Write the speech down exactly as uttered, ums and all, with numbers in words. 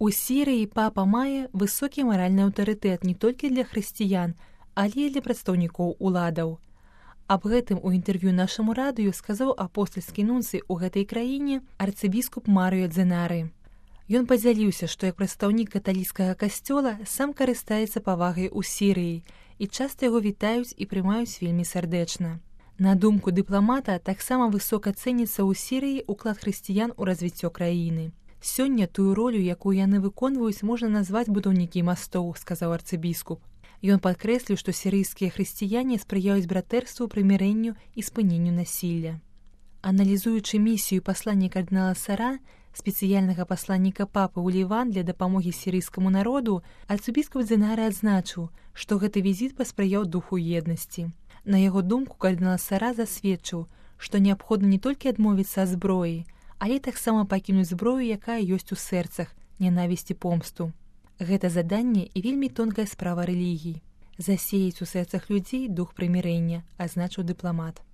У Сірыі папа мае высокі маральны аўтарытэт не толькі для хрысціян, але і для прадстаўнікоў уладаў. Аб гэтым у інтэрв'ю нашаму радыё сказаў апостальскі нунцый у гэтай краіне арцыбіскуп Марыё Дзенары. Ён падзяліўся, што як прадстаўнік каталіцкага касцёла сам карыстаецца павагай у Сірыі і часта яго вітаюць і прымаюць вельмі сардэчна. На думку дыпламата, таксама высока цэніцца ў Сірыі ўклад хрысціян у развіццё краіны. Сёння тую ролю, якую яны выконваюць, можна назваць будаўнікі мастоў, сказаў арцыбіскуп. Ён падкрэсліў, што сірыйскія хрысціяне спрыяюць братэрству, прымірэнню і спыненню насілля. Аналізуючы місію паслання кардынала Сара, спецыяльнага пасланніка папы ў Ліван для дапамогі сірыйскаму народу, арцыбіскуп Дзенары адзначыў, што гэты візіт паспрыяў духу еднасці. На яго думку, кардынал Сара засведчыў, што неабходна не толькі адмовіцца ад зброі, але таксама пакінуць зброю, якая ёсць у сэрцах, нянавісці помсту. Гэта заданне і вельмі тонкая справа рэлігій. Засеяць у сэрцах людзей дух прымірэння, азначыў дыпламат.